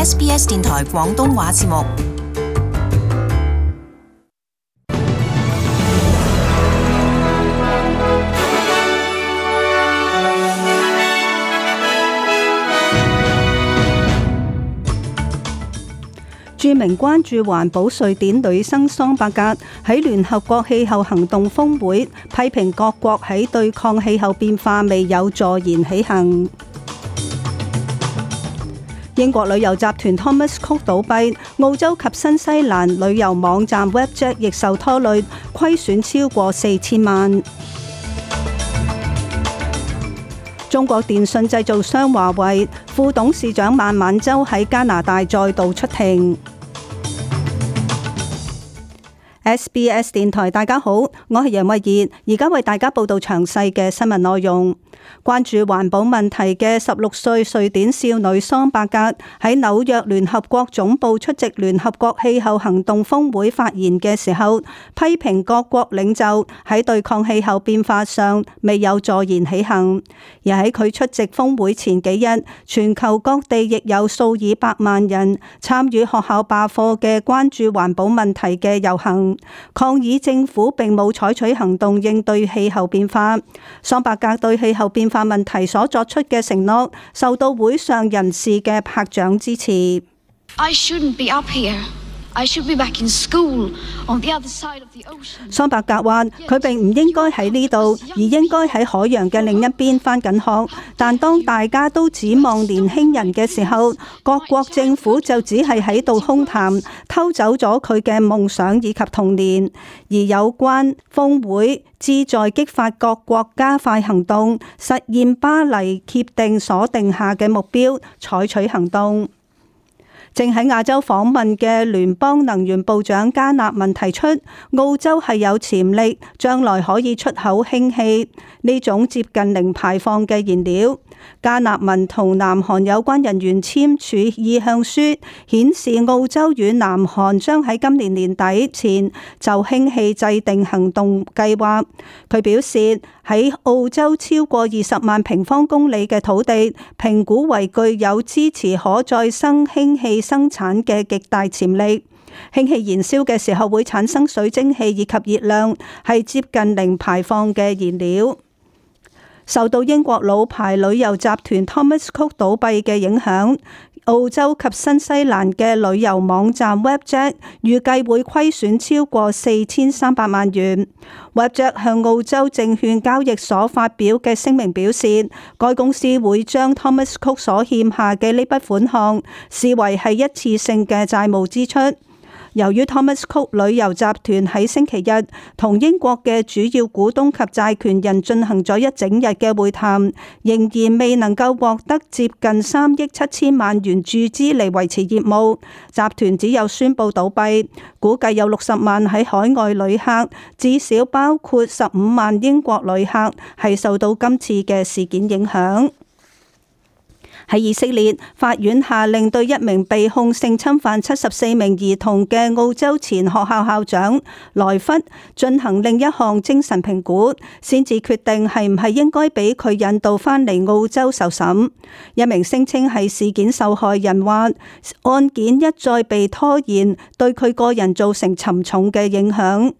SBS 電台廣東話節目。著名關注環保瑞典女生桑伯格喺聯合國氣候行動峰會批評各國喺對抗氣候變化未有坐言起行。英國旅遊集團 Thomas Cook 倒閉，澳洲及新西蘭旅遊網站 Webjet 亦受拖累，虧損超過4000萬。中國電信製造商華為副董事長孟晚舟喺加拿大再度出庭。SBS 電台，大家好，我係楊慧儀，而家為大家報道詳細嘅新聞內容。關注環保問題嘅16歲瑞典少女桑伯格喺紐約聯合國總部出席聯合國氣候行動峰會發言嘅時候，批評各國領袖喺對抗氣候變化上未有坐言起行。而喺佢出席峰會前幾日，全球各地亦有數以百萬人參與學校罷課嘅關注環保問題嘅遊行，抗議政府並冇採取行動應對氣候變化。桑伯格對氣候變化問題所作出嘅承諾，受到會上人士嘅拍掌支持。I shouldn't be up here. I should be back in school on the other side of the ocean. 桑伯格話：佢並唔應該喺呢度，而應該喺海洋嘅另一邊返緊學。但當大家都指望年輕人嘅時候，各國政府就只係喺度空談，偷走咗佢嘅夢想以及童年。而有關峰會旨在激發各國加快行動，實現巴黎協定所定下嘅目標，採取行動。正喺亞洲訪問嘅聯邦能源部長加納文提出，澳洲係有潛力將來可以出口氫氣呢種接近零排放嘅燃料。加納文同南韓有關人員簽署意向書，顯示澳洲與南韓將喺今年年底前就氫氣制定行動計劃。佢表示，喺澳洲超過20萬平方公里嘅土地，評估為具有支持可再生氫氣生產嘅極大潛力。氫氣燃燒嘅時候會產生水蒸氣以及熱量，係接近零排放嘅燃料。受到英國老牌旅遊集團 Thomas Cook 倒閉嘅影響，澳洲及新西蘭嘅旅遊網站 Webjet 預計會虧損超過4300萬元。Webjet 向澳洲證券交易所發表嘅聲明表示，該公司會將 Thomas Cook 所欠下嘅呢筆款項視為係一次性嘅債務支出。由於 Thomas Cook 旅遊集團喺星期日同英國嘅主要股東及債權人進行咗一整日嘅會談，仍然未能夠獲得接近3億7千萬元注資嚟維持業務，集團只有宣布倒閉。估計有60萬喺海外旅客，至少包括15萬英國旅客係受到今次嘅事件影響。喺以色列，法院下令對一名被控性侵犯74名兒童嘅澳洲前學校校長萊弗進行另一項精神評估，先至決定係唔係應該俾佢引渡返嚟澳洲受審。一名聲稱係事件受害人話，案件一再被拖延，對佢個人造成沉重嘅影響。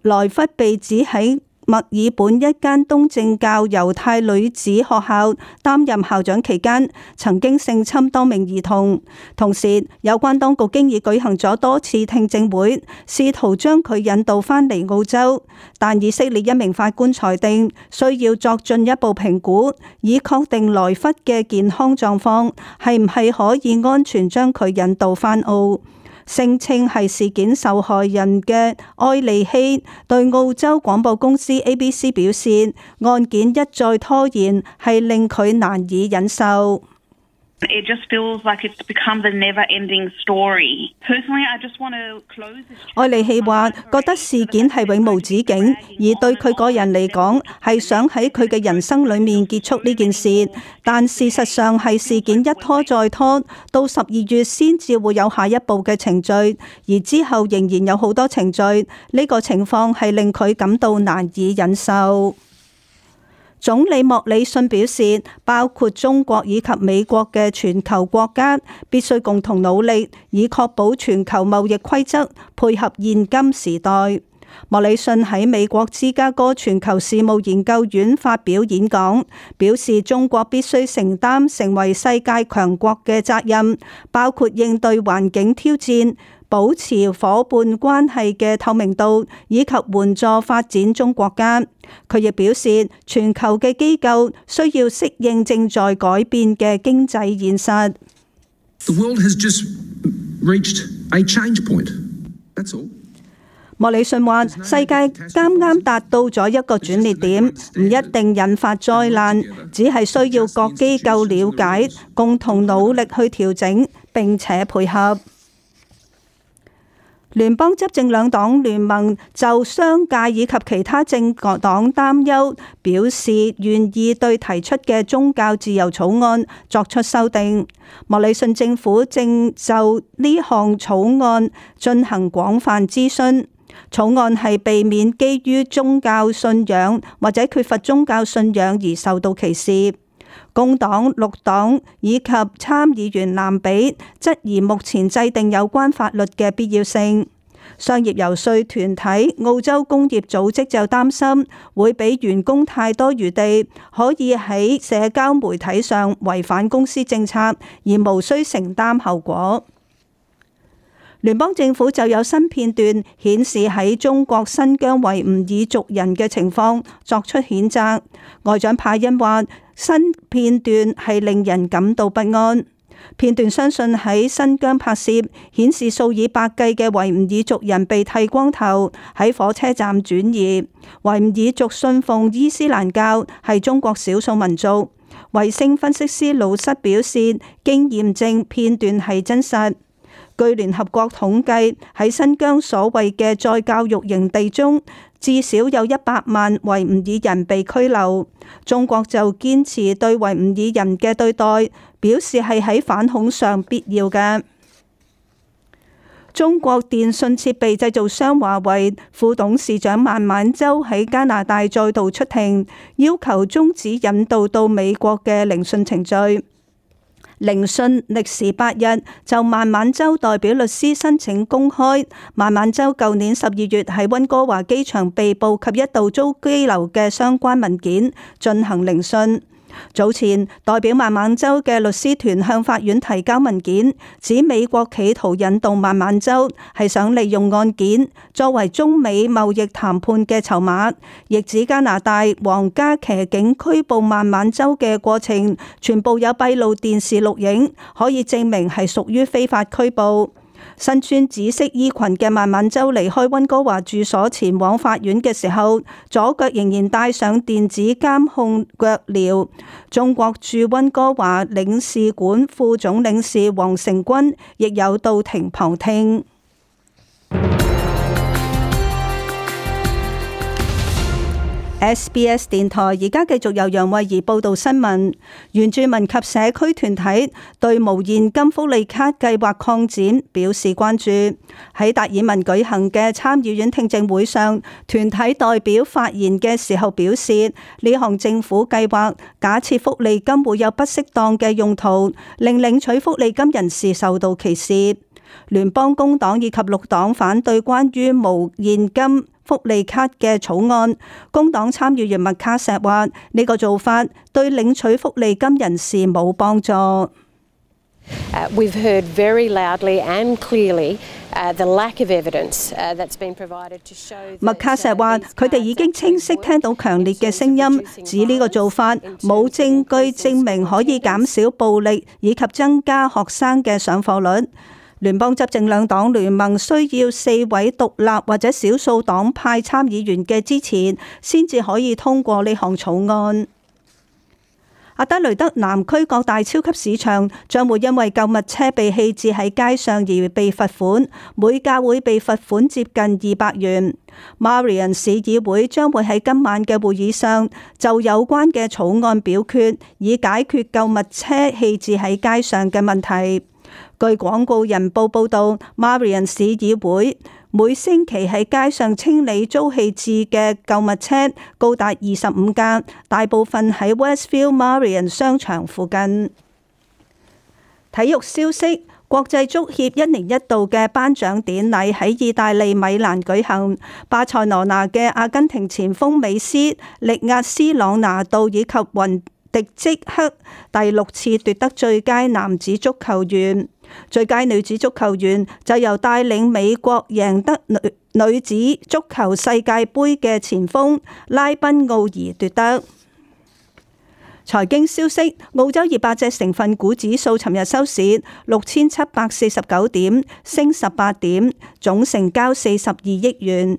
萊弗被指喺墨爾本一間東正教猶太女子學校擔任校長期間，曾經性侵多名兒童。同時，有關當局經已舉行咗多次聽證會，試圖將佢引渡返嚟澳洲。但以色列一名法官裁定，需要作進一步評估，以確定萊弗嘅健康狀況係唔係可以安全將佢引渡返澳。聲稱係事件受害人嘅埃利希對澳洲廣播公司 ABC 表示，案件一再拖延係令佢難以忍受。It just feels like it's become the never-ending story. Personally, I just want to close this. 埃利希話覺得事件係永無止境，而對佢個人嚟講係想喺佢嘅人生裏面結束呢件事，但事實上係事件一拖再拖，到12月先至會有下一步嘅程序，而之後仍然有好多程序，呢個情況係令佢感到難以忍受。總理莫里遜表示，包括中國以及美國嘅全球國家必須共同努力，以確保全球貿易規則配合現今時代。莫里遜喺美國芝加哥全球事務研究院發表演講，表示中國必須承擔成為世界強國嘅責任，包括應對環境挑戰、保持夥伴關係嘅透明度，以及援助發展中國家。佢亦表示，全球嘅機構需要適應正在改變嘅經濟現實。The world has just reached a change point. That's all. 莫里遜話：世界啱啱達到咗一個轉捩點，唔一定引發災難，只係需要各機構了解，共同努力去調整並且配合。聯邦執政兩黨聯盟就商界以及其他政黨擔憂，表示願意對提出嘅宗教自由草案作出修訂。莫里遜政府正就呢項草案進行廣泛諮詢。草案係避免基於宗教信仰或者缺乏宗教信仰而受到歧視。工黨、綠黨以及參議員藍比質疑目前制定有關法律嘅必要性。商業遊說團體澳洲工業組織就擔心會俾員工太多餘地，可以喺社交媒體上違反公司政策，而無需承擔後果。聯邦政府就有新片段顯示喺中國新疆維吾爾族人嘅情況作出譴責。外長帕恩話：新片段係令人感到不安。片段相信喺新疆拍攝，顯示數以百計嘅維吾爾族人被剃光頭喺火車站轉移。維吾爾族信奉伊斯蘭教，係中國少數民族。衛星分析師魯瑟表示，經驗證片段係真實。據聯合國統計，喺新疆所謂嘅再教育營地中，至少有100萬維吾爾人被拘留。中國就堅持對維吾爾人嘅對待，表示係喺反恐上必要嘅。中國電信設備製造商華為副董事長孟晚舟喺加拿大再度出庭，要求終止引渡到美國嘅聆訊程序。聆訊歷時8日，就孟晚舟代表律師申請公開孟晚舟舊年12月喺溫哥華機場被捕及一度遭羈留嘅相關文件進行聆訊。早前代表孟晚舟嘅律師團向法院提交文件，指美國企圖引渡孟晚舟係想利用案件作為中美貿易談判嘅籌碼，亦指加拿大皇家騎警拘捕孟晚舟嘅過程全部有閉路電視錄影，可以證明係屬於非法拘捕。身穿紫色衣裙嘅孟晚舟離開溫哥華住所前往法院嘅時候，左腳仍然戴上電子監控腳鐐。中國駐溫哥華領事館副總領事黃成軍亦有到庭旁聽。SBS 電台而家繼續由楊慧儀報道新聞。原住民及社區團體對無現金福利卡計劃擴展表示關注。喺達爾文舉行嘅參議院聽證會上，團體代表發言嘅時候表示，呢項政府計劃假設福利金會有不適當嘅用途，令領取福利金人士受到歧視。聯邦工黨以及綠黨反對關於無現金福利卡嘅草案。工黨參議員麥卡錫話：呢個做法對領取福利金人士冇幫助。We've heard very loudly and clearly the lack of evidence that's been provided to show。麥卡錫話：佢哋已經清晰聽到強烈嘅聲音，指呢個做法冇證據證明可以減少暴力以及增加學生嘅上課率。聯邦執政兩黨聯盟需要4位獨立或者少數黨派參議員嘅支持，先至可以通過呢項草案。阿德雷德南區各大超級市場將會因為購物車被棄置喺街上而被罰款，每架會被罰款接近200元。Marion 市議會將會喺今晚嘅會議上就有關嘅草案表決，以解決購物車棄置喺街上嘅問題。據廣告人報報道，Marion 市議會每星期喺街上清理遭棄置嘅購物車高達25架，大部分喺 Westfield Marion 商場附近。體育消息，國際足協1年1度嘅頒獎典禮喺意大利米蘭舉行，巴塞羅那嘅阿根廷前鋒美斯力壓斯朗拿度以及雲迪即克第6次奪得最佳男子足球員，最佳女子足球員就由帶領美國贏得女子足球世界盃嘅前鋒拉賓奧爾奪得。財經消息，澳洲200隻成分股指數尋日收市6749點，升18點，總成交42億元。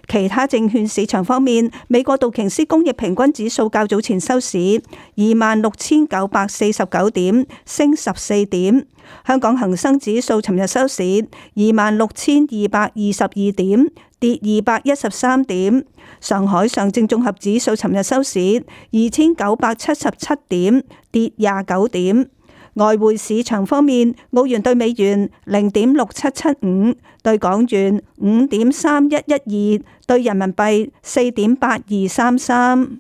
其他證券市場方面，美國道瓊斯工業平均指數較早前收市26,949點，升14點。香港恒生指數尋日收市26,222點，跌213點。上海上證綜合指數尋日收市2,977點，跌29點。外匯市場方面，澳元對美元0.6775，對港元5.3112，對人民幣4.8233。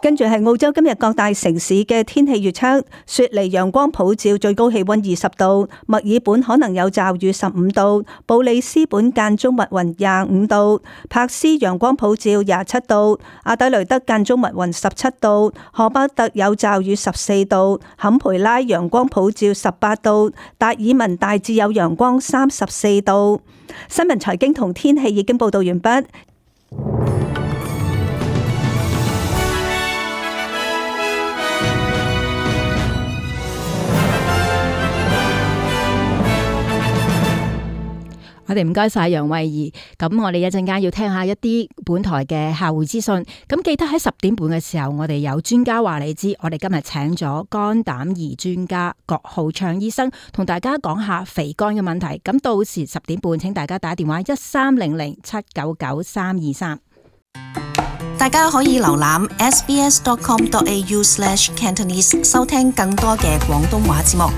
跟住係澳洲今日各大城市嘅天氣預測：雪梨陽光普照，最高氣溫20度；墨爾本可能有驟雨15度；布里斯本間中密雲25度；珀斯陽光普照27度；阿德雷德間中密雲17度；荷伯特有驟雨14度；坎培拉陽光普照18度；達爾文大致有陽光34度。新聞財經同天氣已經報道完畢。我哋唔該晒楊慧儀，咁我哋一陣間要聽下一啲本台嘅客戶資訊，咁記得喺10點半嘅時候，我哋有專家話你知，我哋今日請咗肝膽胰專家郭浩暢醫生，同大家講下肥肝嘅問題。咁到時10點半，請大家打電話1300-799-323。大家可以瀏覽 sbs.com.au/Cantonese 收聽更多嘅廣東話節目。